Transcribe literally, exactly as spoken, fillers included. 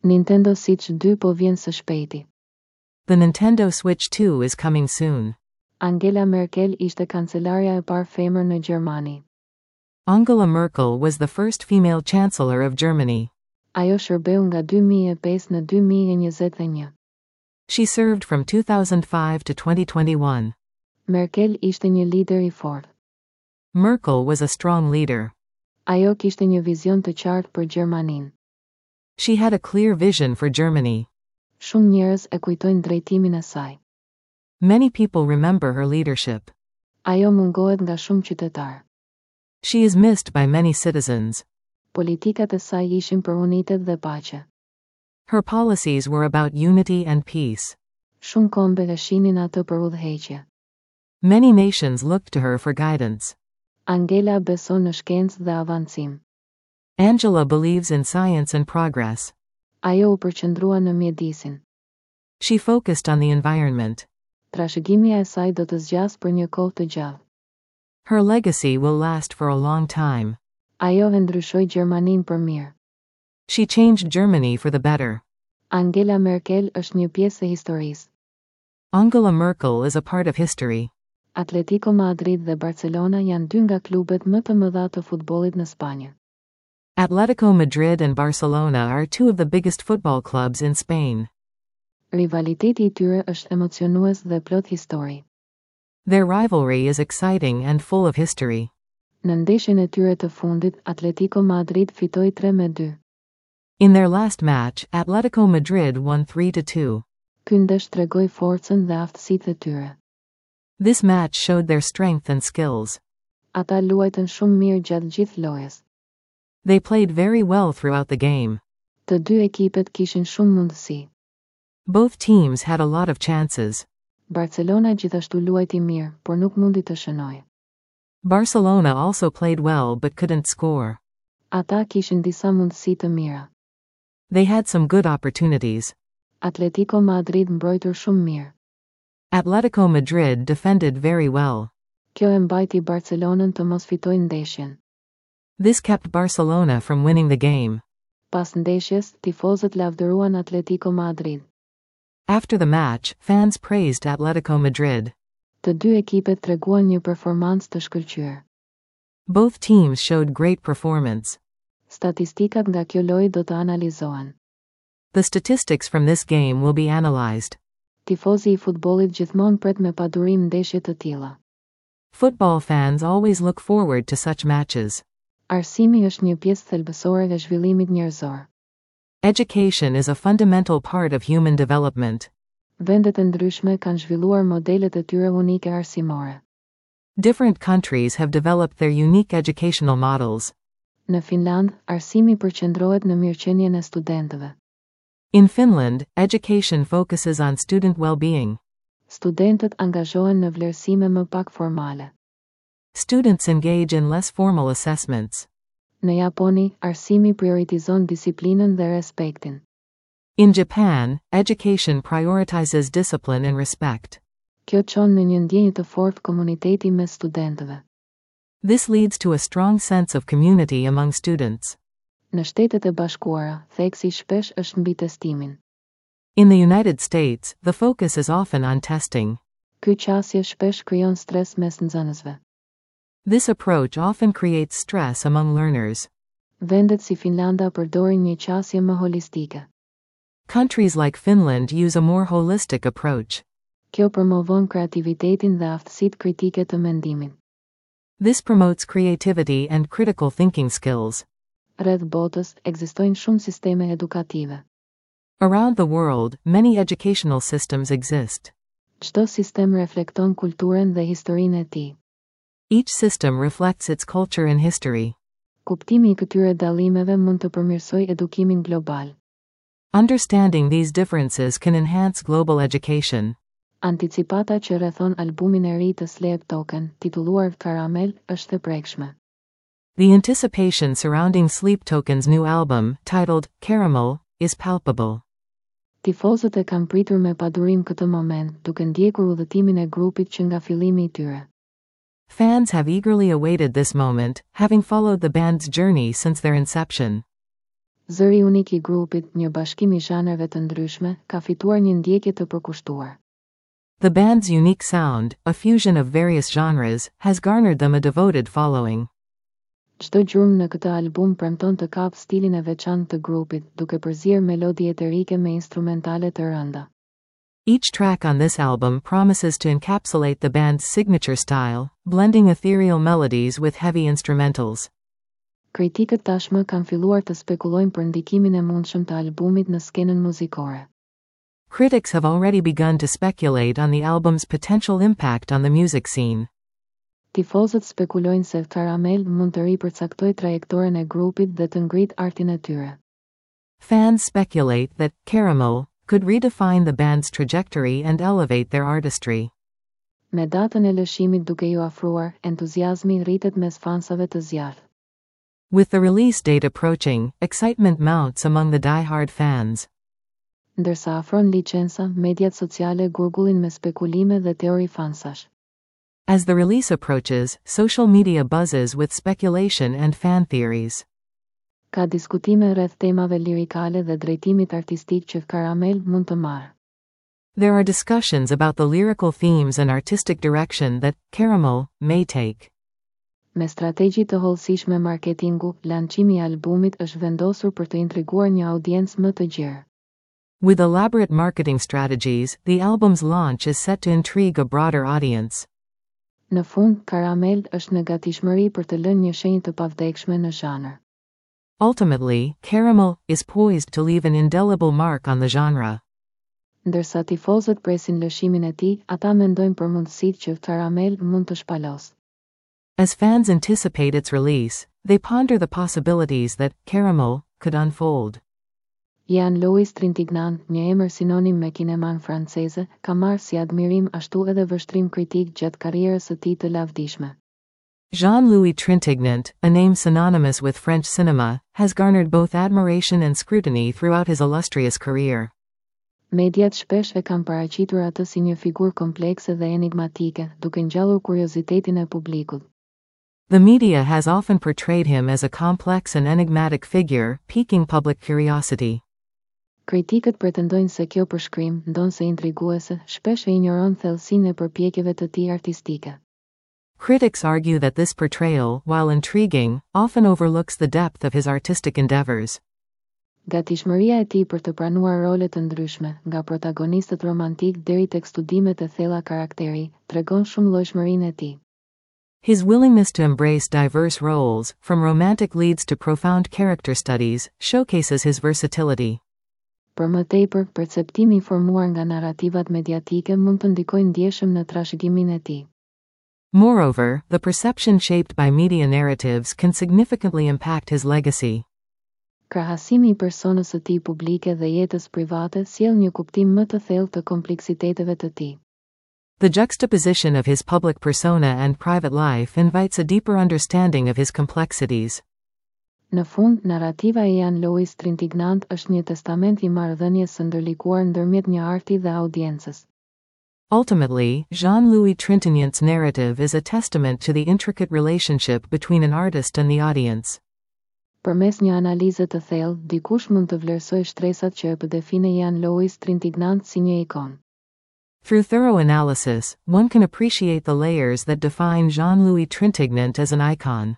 Nintendo Switch dy po vjen së shpejti. The Nintendo Switch two is coming soon. Angela Merkel ishte kancelarja e parë femër në Gjermani. Angela Merkel was the first female chancellor of Germany. Ajo shërbeu nga dy mijë e pesë në dy mijë e njëzet e një. She served from two thousand five to twenty twenty-one. Merkel ishte një lider i fortë. Merkel was a strong leader. Ajo kishte një vizion të qartë për Gjermaninë. She had a clear vision for Germany. Shumë njerëz e kujtojnë drejtimin e saj. Many people remember her leadership. Ajo mungohet nga shumë qytetarë. She is missed by many citizens. Politikat e saj ishin për unitet dhe paqe. Her policies were about unity and peace. Shumë kombe e shihnin atë për udhëheqje. Many nations looked to her for guidance. Angela beson në shkencë dhe avancim. Angela believes in science and progress. Ajo u përqendrua në mjedisin. She focused on the environment. Trashëgimia e saj do të zgjasë për një kohë të gjatë. Her legacy will last for a long time. Ajo e ndryshoi Gjermaninë për mirë. She changed Germany for the better. Angela Merkel është një pjesë e historisë. Angela Merkel is a part of history. Atletico Madrid dhe Barcelona janë dy nga klubet më të mëdha të futbollit në Spanjë. Atletico Madrid and Barcelona are two of the biggest football clubs in Spain. Rivaliteti i tyre është emocionues dhe plot histori. Their rivalry is exciting and full of history. Në ndeshjen e tyre të fundit, Atletico Madrid fitoi tre me dy. In their last match, Atletico Madrid won three to two. Ky ndeshje tregoi forcën dhe aftësitë e tyre. This match showed their strength and skills. Ata luajtën shumë mirë gjatë gjithë lojës. They played very well throughout the game. Të dy ekipet kishin shumë mundësi. Both teams had a lot of chances. Barcelona gjithashtu luajti mirë, por nuk mundi të shënojë. Barcelona also played well but couldn't score. Ata kishin disa mundësi të mira. They had some good opportunities. Atletico Madrid mbrojti shumë mirë. Atletico Madrid defended very well. Kjo e mbajti Barcelonën të mos fitojë ndeshjen. This kept Barcelona from winning the game. Pas ndeshjes, tifozët lavdëruan Atletico Madrid. After the match, fans praised Atletico Madrid. Të dy ekipet treguan një performancë të shkëlqyer. Both teams showed great performance. Statistikat nga kjo lojë do të analizohen. The statistics from this game will be analyzed. Tifozi i futbollit gjithmonë pret me padurim ndeshje të tilla. Football fans always look forward to such matches. Arsimi është një pjesë thelbësore e zhvillimit njerëzor. Education is a fundamental part of human development. Vendet e ndryshme kanë zhvilluar modelet e tyre unike arsimore. Different countries have developed their unique educational models. Në Finland, arsimi përqendrohet në mirëqenien e studentëve. In Finland, education focuses on student well-being. Studentët angazhohen në vlerësime më pak formale. Students engage in less formal assessments. Në Japoni, arsimi prioritizon disiplinën dhe respektin. In Japan, education prioritizes discipline and respect. Kjo çon në një ndjenjë të fortë komuniteti mes studentëve. This leads to a strong sense of community among students. Në Shtetet e Bashkuara, theksi shpesh është mbi testimin. In the United States, the focus is often on testing. Ky qasje shpesh krijon stres mes nxënësve. This approach often creates stress among learners. Vendet si Finlanda përdorin një qasje më holistike. Countries like Finland use a more holistic approach. Kjo promovon kreativitetin dhe aftësitë kritike të mendimit. This promotes creativity and critical thinking skills. Rreth botës ekzistojnë shumë sisteme edukative. Around the world, many educational systems exist. Çdo sistem reflekton kulturën dhe historinë e tij. Each system reflects its culture and history. Kuptimi i këtyre dallimeve mund të përmirësojë edukimin global. Understanding these differences can enhance global education. Anticipata që rrethon albumin e ri të Sleep Token, titulluar Caramel, është e prekshme. The anticipation surrounding Sleep Token's new album, titled Caramel, is palpable. Tifozët e kanë pritur me padurim këtë moment, duke ndjekur udhëtimin e grupit që nga fillimi i tyre. Fans have eagerly awaited this moment, having followed the band's journey since their inception. Zëri unik i grupit, një bashkim i zhanreve të ndryshme, ka fituar një ndjekje të përkushtuar. The band's unique sound, a fusion of various genres, has garnered them a devoted following. Çdo gjurmë në këtë album premton të kapë stilin e veçantë të grupit, duke përzier melodi eterike me instrumentale të rënda. Each track on this album promises to encapsulate the band's signature style, blending ethereal melodies with heavy instrumentals. Kritikët tashmë kanë filluar të spekulojnë për ndikimin e mundshëm të albumit në skenën muzikore. Critics have already begun to speculate on the album's potential impact on the music scene. Tifozët spekulojnë se Caramel mund të ripërcaktojë trajektoren e grupit dhe të ngrit artin e tyre. Fans speculate that Caramel could redefine the band's trajectory and elevate their artistry. Me datën e lëshimit duke ju afruar, entuziazmi rritet mes fansave të zjarrtë. With the release date approaching, excitement mounts among the die-hard fans. Ndërsa afron licenca, mediat sociale gurgullin me spekulime dhe teori fansash. As the release approaches, social media buzzes with speculation and fan theories. Ka diskutime rreth temave lirikale dhe drejtimit artistik që Caramel mund të marrë. There are discussions about the lyrical themes and artistic direction that Caramel may take. Me strategji të hollësishme marketingu, lançimi i albumit është vendosur për të intriguar një audiencë më të gjerë. With elaborate marketing strategies, the album's launch is set to intrigue a broader audience. Në fund, Caramel është në gatishmëri për të lënë një shenjë të pavdekshme në zhanër. Ultimately, Caramel is poised to leave an indelible mark on the genre. Ndërsa tifozët presin lëshimin e tij, ata mendojnë për mundësitë që Caramel mund të shpalos. As fans anticipate its release, they ponder the possibilities that Caramel could unfold. Jean-Louis Trintignant, një emër sinonim me kineman franceze, ka marrë si admirim ashtu edhe vështrim kritik gjatë karrierës së tij të lavdishme. Jean-Louis Trintignant, a name synonymous with French cinema, has garnered both admiration and scrutiny throughout his illustrious career. Mediat shpesh e kanë paraqitur atë si një figurë komplekse dhe enigmatike, duke ngjallur kuriozitetin e publikut. The media has often portrayed him as a complex and enigmatic figure, piquing public curiosity. Kritikët pretendojnë se kjo përshkrim, ndonëse intriguese, shpesh e injoron thellësinë e përpjekjeve të tij artistike. Critics argue that this portrayal, while intriguing, often overlooks the depth of his artistic endeavors. Gatishmëria e tij për të pranuar role të ndryshme, nga protagonistët romantik deri tek studimet e thella karakteri, tregon shumëllojshmërinë e tij. His willingness to embrace diverse roles, from romantic leads to profound character studies, showcases his versatility. Për më tepër, perceptimi i formuar nga narrativat mediatike mund të ndikojë ndjeshëm në trashëgiminë e tij. Moreover, the perception shaped by media narratives can significantly impact his legacy. Krahasimi i personës së tij publike dhe jetës private sjell një kuptim më të thellë të kompleksiteteve të tij. The juxtaposition of his public persona and private life invites a deeper understanding of his complexities. Në fund, narrativa e Jean-Louis Trintignant është një testament i marrëdhënies së ndërlikuar ndërmjet një arti dhe audiencës. Ultimately, Jean-Louis Trintignant's narrative is a testament to the intricate relationship between an artist and the audience. Përmes një analize të thellë, dikush mund të vlerësojë shtresat që e përdefinojnë Jean-Louis Trintignant si një ikonë. Through thorough analysis, one can appreciate the layers that define Jean-Louis Trintignant as an icon.